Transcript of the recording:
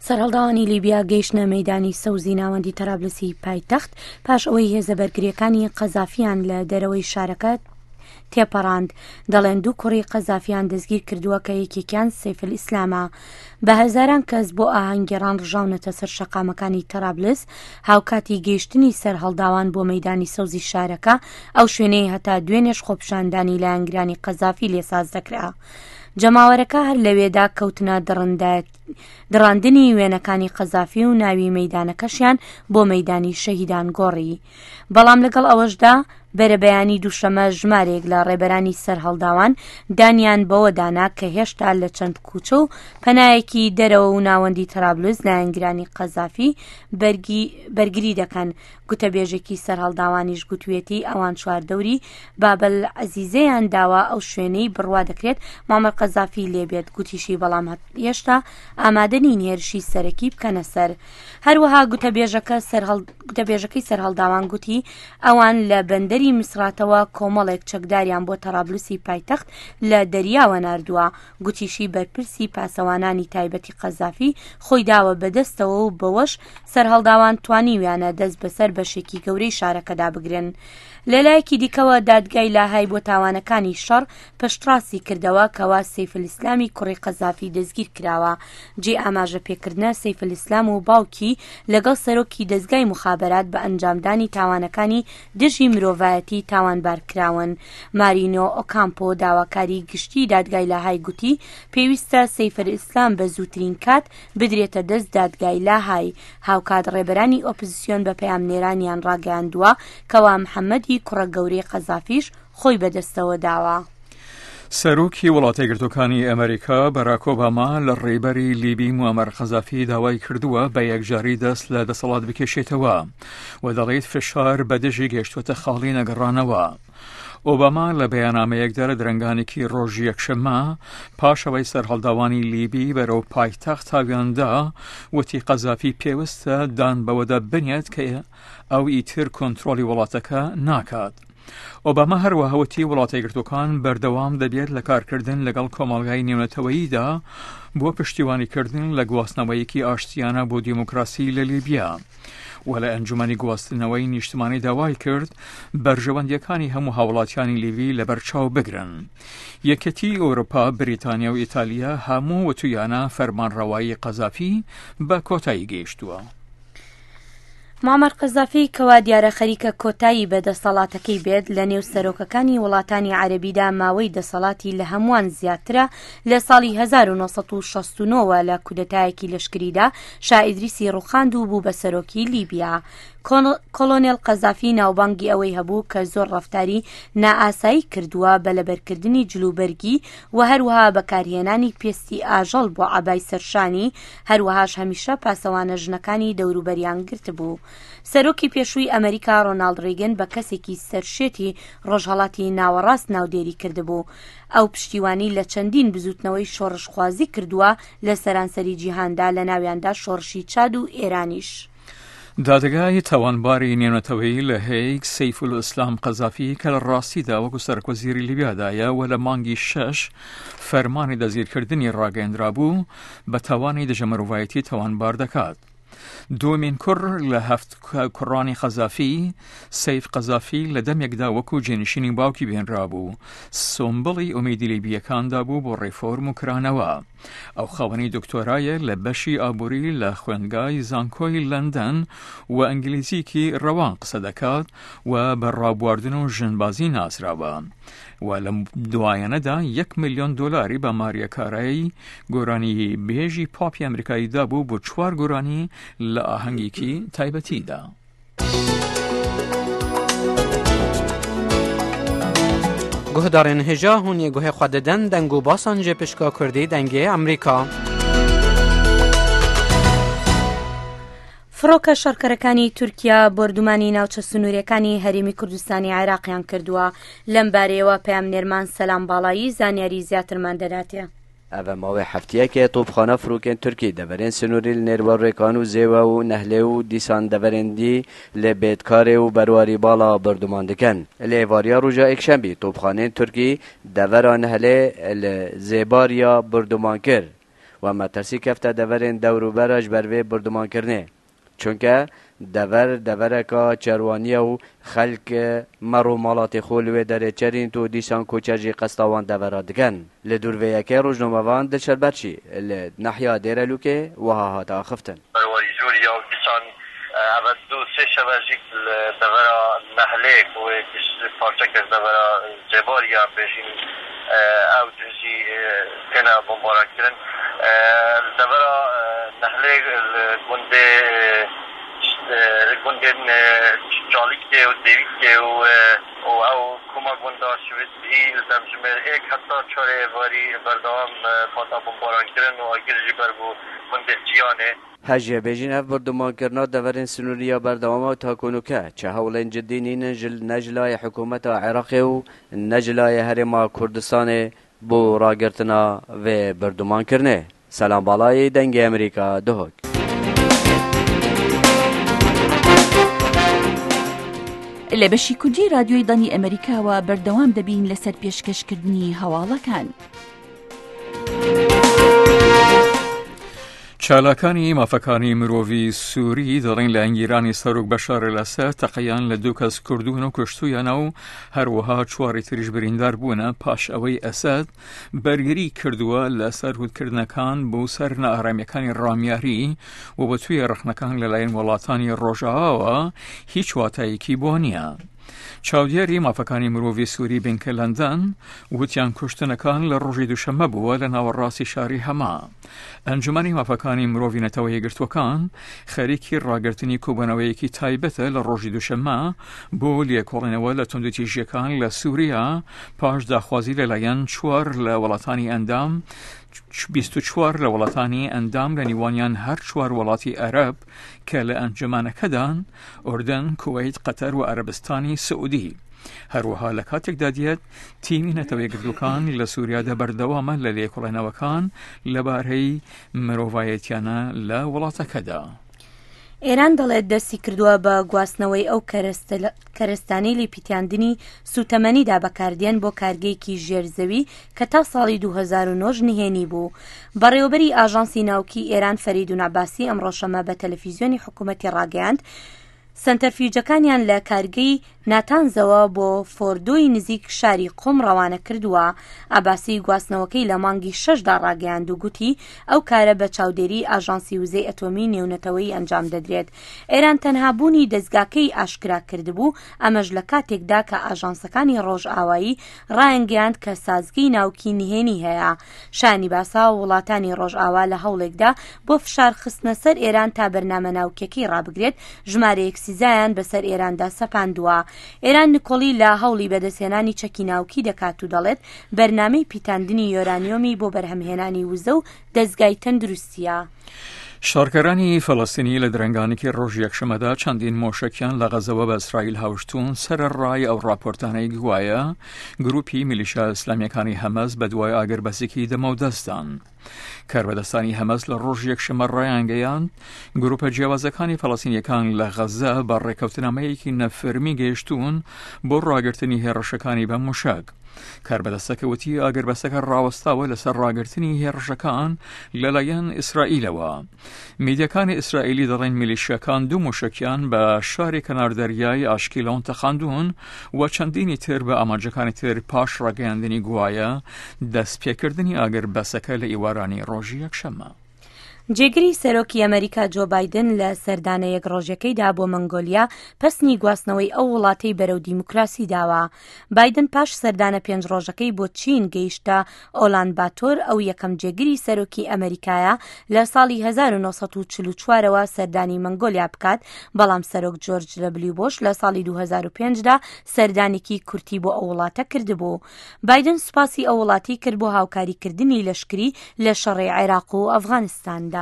سەرهەڵداوانی لیبیا گەیشتنە مەیدانی سەوزی ناوەندی تەرابلسی پایتەخت پاش ئەوەی هێزە بەرگرییەکانی قەزافیان لە دەرەوەی شارەکە تێپەڕاند، دەڵێن دوو کوڕی قەزافیان دەستگیر کردووە کە یەکێکیان سەیفلئیسلامە. بە هەزاران کەس بۆ ئاهەنگگێڕان ڕژاونەتە سەر شەقامەکانی تەرابلس، هاوکاتی گەیشتنی سەرهەڵداوان بۆ مەیدانی سەوزی شارەکە، ئەو شوێنەی هەتا دوێنێش خۆپیشاندانی لایەنگرانی قەزافی لێ ساز دەکرا. جەماوەرەکە هەر لەوێدا کەوتنە دڕاندنی وێنەکانی قەزافی و ناوی مەیدانەکەشیان بۆ مەیدانی شەهیدان گۆڕی. بەڵام لەگەڵ ئەوەشدا بەرەبەیانی دووشەمە ژمارێک لە ڕێبەرانی سەرهەڵداوان دانیان بەوە دانا کە هێشتا لە چەند کوچە و پەنایەکی دەرەوە و ناوەندی تەرابلس لایەنگرانی قەزافی بەرگری دەکەن گوتەبێژێکی سەرهەڵداوانیش گوتوێتی ئەوان چواردەوری بابل عەزیزەیان داوە ئەو شوێنەی بڕوا دەکرێت معمر قەزافی لێبێت گوتیشی بەڵام هێشتا ئامادە نین هێرشی سەرەکی بکەنە سەر هەروەها گوتەبێژەکە گوتەبێژەکەی سەرهەڵداوان گوتی ئەوان لە بەندەری میسراتەوە کۆمەڵێک چەکداریان بۆ تەرابلوسی پایتەخت لە دەریاوە ناردووە گوتیشی بەرپرسی پاسەوانانی تایبەتی قەزافی خۆی داوە بەدەستەوە و بەوەش سەرهەڵداوان توانیویانە دەست بەسەر بەشێکی گەورەی شارەکەدا بگرن. لەلایەکی دیکەوە دادگای لاهای بۆ تاوانەکانی شەڕ پشتڕاستی کردەوە کەوا سەیفلئیسلامی کوڕی قەزافی دەستگیر کراوە. جێی ئاماژە پێکردنە سەیفلئیسلام و باوکی لەگەڵ سەرۆکی دەزگای موخابەرات بە ئەنجامدانی تاوانەکانی دژی مرۆڤایەتی تاوانبار کراون. مارینۆ ئۆکامپۆ داواکاری گشتی دادگای لاهای گوتی پێویستە سەیفلئیسلام بە زووترین کات بدرێتە دەست دادگای لاهای. هاوکات ڕێبەرانی ئۆپزسیۆن بە پەیامنێرانیان ڕاگەیاندووە کەوا محەمەدی کوڕە گەورەی قەزافیش خۆی بەدەستەوە داوە. سەرۆکی وڵاتەیەکگرتووەکانی ئەمریکا باراک ئۆباما لە ڕێبەری لیبی موعەمەر قەزافی داوای کردووە بە یەکجاری دەست لە دەسەڵات بکێشێتەوە و دەڵێت فشار بە دژی گەیشتووەتە خاڵی نەگەڕانەوە. ئۆباما لە بەیاننامەیەکدا لە درەنگانێکی ڕۆژی یەکشەممە پاش ئەوەی سەرهەڵداوانی لیبی بەرەو پایتەخت تاویاندا وتی قەزافی پێویستە دان بەوەدا بنێت کە ئەو ئیتر کۆنترۆڵی وڵاتەکە ناکات. ئۆباما هەروەها وتی وڵاتەیەکگرتووەکان بەردەوام دەبێت لە کارکردن لەگەڵ کۆمەڵگای نێونەتەوەییدا بۆ پشتیوانیکردن لە گواستنەوەیەکی ئاشتیانە بۆ دیموکراسی لە لیبیا و لە ئەنجومەنی گواستنەوەی نیشتمانی داوای کرد بەرژەوەندیەکانی هەموو هاوڵاتیانی لیبی لەبەرچاو بگرن. یەکێتی ئەوروپا، بریتانیا و ئیتالیا هەموو وتویانە فەرمانڕەوایی قەزافی بە کۆتایی گەیشتووە. معمر قەزافی کەوا دیارە خەریکە کۆتایی بە دەسەڵاتەکەی بێت لە نێو سەرۆکەکانی وڵاتانی عەرەبیدا ماوەی دەسەڵاتی لە هەمووان زیاترە لە ساڵی 1969 وە لە کودەتایەکی لەشکریدا شا ئیدریسی ڕوخاند و بوو بە سەرۆکی لیبیا. کۆڵۆنێڵ قەزافی ناوبانگی ئەوەی هەبوو کە زۆر ڕەفتاری نائاسایی کردووە بە لەبەرکردنی جلوبەرگی و هەروەها بەکارهێنانی پێستی ئاژەڵ بۆ عەبای سەرشانی، هەروەهاش هەمیشە پاسەوانە ژنەکانی دەوروبەریان گرتبوو. سەرۆکی پێشووی ئەمریکا ڕۆناڵد ڕیگن بە کەسێکی سەرشێتی ڕۆژهەڵاتی ناوەڕاست ناودێری کردبوو. ئەو پشتیوانی لە چەندین بزووتنەوەی شۆڕشخوازی کردووە لە سەرانسەری جیهاندا لەناویاندا شۆڕشی چاد و ئێرانیش. دادگای تاوانباری نێونەتەوەیی لە هەیگ سەیفولئیسلام قەزافی کە لە ڕاستیدا وەکو سەرۆکوەزیری لیبیادایە و لە مانگی شەش فەرمانی دەستگیرکردنی ڕاگەیەندرابوو بە تاوانی دژە مرۆڤایەتی تاوانبار دەکات. دووەمین کوڕ لە هەفت کوڕانی قەزافی، سەیف قەزافی لە دەمێکدا وەکو جێنشینی باوکی بینرابوو، سومبڵی ئومێدی لیبییەکاندا بوو بۆ ڕێفۆرم و کرانەوە. ئەو خاوەنی دکتۆرایە لە بەشی ئابووری لە خوێندگای زانکۆی لەندەن و ئینگلیزیکی ڕەوان قسە دەکات و بە ڕابواردن و ژنبازی ناسراوە و لەم دوایانەدا یەک ملیۆن دۆلاری بە ماریا کارای گۆرانی بێژی پاپی ئەمریکایی دابوو بۆ چوار گۆرانی لە ئاهەنگێکی تایبەتیدا. Guhdarên hêja hûn ê guhê xwe didin deng û basan ji pişka Kurdî dengê Amerîka. فڕۆکە شەڕکەرەکانی تورکیا بۆردومانی ناوچە سنووریەکانی هەرێمی کوردستانی عێراقیان کردووە. لەم بارەیەوە پەیامنێرمان سەلام باڵایی زانیاری زیاترمان دەداتێ. ئەڤە ماوەی هەفتیەکێ تۆپخانە فرۆکێن تورکی دەڤەرێن سنووری li نێروە ڕێکان و زێوە و نەهلێ و دیسان دەڤەرێن دی li بێتکارێ و بەرواری باڵا بۆردومان دکەن. Li êvariya roja êkşembî topxanên Turkî devera Nehlê li Zêbariya bordûman kir. و مەترسی کەفتە دەڤەرێن دەوروبەرا ji ber vê bordûmankirinê. Çunke dever devereka çerwanî ye û xelk merr û malatê xwe li wê derê çerîn û dîsan koçer jî qesta wan devera dikin. Li dûr vê yekê rojnamevan Dilşer Berçî li nahya Dêrelûkê wiha hate axiftin. Berwarî Jorî ya û dîsan eve du sê şeve jî li devera Nehlê ku wê parçeke ji devera Zêbarî ya em bêjîn ew cih jî têne bombarankirin. Li devera Nehlê li gundê li gundên Çalîkê û Dêwîkê û û ew koma gunda Şivêtbihî li demjimêr êk heta çarê êvarî berdewam hate bombarankirin û agir jî ber bû gundê Çiyanê. Hejê bêjîn ev bordûmankirina deverên sinûrî ya berdewam e ta ku nûke çi hewlên cidî nînin ji ne ji layê hikûmeta Iraqê û ne ji layê Herêma Kurdistanê bo ragirtina vê bordûmankirinê. Selam Balayî, Dengê Amerîka, Duhok. لە بەشی کوردی رادیۆی دەنگی ئەمەریکاوە بەردەوام دەبین لەسەر پێشکەشکردنی هەواڵەکان. چالاکانی مافەکانی مرۆڤی سووری دەڵێن لایەنگیرانی سەرۆک بەشار ئەلئەسەد تەقەیان لە دوو کەس کردوون و کوشتویانە و هەروەها چواری تریش بریندار بوونە پاش ئەوەی ئەسەد بەرگری کردووە لە سەرکوتکردنەکان بۆ سەر نائارامیەکانی ڕامیاری و بە توێ ڕەخنەکان لەلایەن وڵاتانی ڕۆژئاواوە هیچ واتایەکی بۆ نییە. چاودێری مافەکانی مرۆڤی سووری بنکە لەندەن وتیان کوشتنەکان لە ڕۆژی دووشەممە بووە لە ناوەڕاستی شاری هەما. ئەنجومەنی مافەکانی مرۆڤی نەتەوە یەکگرتووەکان خەریکی ڕاگرتنی کۆبوونەوەیەکی تایبەتە لە ڕۆژی دووشەممە بۆ لێکۆڵینەوە لە توندوتیژیەکان لە سووریا پاش داخوازی لەلایەن چوار لە وڵاتانی ئەندام 24 لە وڵاتانی ئەندام لە نیوانیان هەر چوار وڵاتی عەرەب کە لە ئەنجومەنەکەدان، ئوردن، کوەیت، قەتەر و عەرەبستانی سعودی. هەروەها لە کاتێکدا دێت تیمی نەتەوە یەکگرتووەکان لە سووریادا بەردەوامە لە لێکۆڵێنەوەکان لەبارەی مرۆڤایەتیانە لە وڵاتەکەدا. ئێران دەڵێت دەستی کردووە بە گواستنەوەی ئەو کەرەستانەی لە پیتاندنی سووتەمەنیدا بەکاردێن بۆ کارگەیەکی ژێر زەوی کە تا ساڵی 2009 نهێنی بوو. بەڕێوەبەری ئاژانسی ناوکی ئێران فەریدون عەباسی ئەمڕۆ شەممە بە تەلەفیزیۆنی حکوومەتی ڕاگەیاند، سەنتەرفیوجەکانیان لە کارگەی ناتانزەوە بۆ فۆردۆی نزیک شاری قوم ڕەوانە کردووە. عەباسی گواستنەوەکەی لە مانگی شەشدا ڕاگەیاند و گوتی، ئەو کارە بە چاودێریی ئاژانسی وزەی ئەتۆمیی نێونەتەوەیی ئەنجام دەدرێت. ئێران تەنها بوونی دەزگاکەی ئاشکرا کردبوو، ئەمەش لە کاتێکدا کە ئاژانسەکانی ڕۆژئاوایی ڕایانگەیاند کە سازگەی ناوکی نهێنی هەیە. شایانی باسە وڵاتانی ڕۆژئاوا لە هەوڵێکدا بۆ فشار خستنە سەر ئێران تا بەرنامە ناوکیەکەی ڕابگرێت، ژمارەیەک سزایان بەسەر ئێراندا سەپاندووە. ئێران نکۆڵی لە هەوڵی بەدەستهێنانی چەکی ناوکی دەکات و دەڵێت بەرنامەی پیتاندنی یۆرانیۆمی بۆ بەرهەمهێنانی وزە و دەزگای تەندروستییە. شەڕکەرانی فەلەستینی لە درەنگانێکی ڕۆژی یەکشەممەدا چەندین مۆشەکیان لە غەزەوە بە ئیسرائیل هاوشتوون سەرەڕای ئەو ڕاپۆرتانەی گوایە گروپی میلیشیا ئیسلامیەکانی حەمەس بەدوای ئاگربەسێکی دەمەودەستدان. کاربەدەستانی حەمەس لە ڕۆژی یەکشەممە ڕایانگەیاند گروپە جیاوازەکانی فەلەستینیەکان لە غەزە بە ڕێککەوتنامەیەکی نەفەرمی گەیشتوون بۆ ڕاگرتنی هێڕشەکانی بە موشەک. کاربەدەستەکە وتی ئاگربەستەکە ڕاوەستاوە لەسەر ڕاگرتنی هێڕشەکان لەلایەن ئیسرائیلەوە. میدیاکانی ئیسرائیلی دەڵێن میلیشیاکان دوو موشەکیان بە شاری کەنار دەریای ئاشکیلۆن تەقاندوون و چەندینی تر بە ئامانجەکانی تر پاش ڕاگەیاندنی گوایە دەستپێکردنی ئاگربەسەکە لە ئیوارانی ڕۆژی یەکشەممە. جێگری سەرۆکی ئەمەریکا جۆ بایدن لە سەردانە یەک ڕۆژەکەیدا بۆ مەنگۆلیا پەسنی گواستنەوەی ئەو وڵاتەی بەرەو دیموکراسی داوە. بایدن پاش سەردانە پێنج ڕۆژەکەی بۆ چین گەیشتە ئۆلان باتۆر ئەو یەکەم جێگری سەرۆکی ئەمەریکایە لە ساڵی 1944ەوە سەردانی مەنگۆلیا بکات بەڵام سەرۆک جۆرج دەبلیو بۆش لە ساڵی 2005 دا سەردانێکی کورتی بۆ ئەو وڵاتە کردبوو. بایدن سوپاسی ئەو وڵاتی کرد بۆ هاوکاریکردنی لەشکری لە شەڕی عێراق و ئەفغانستاندا.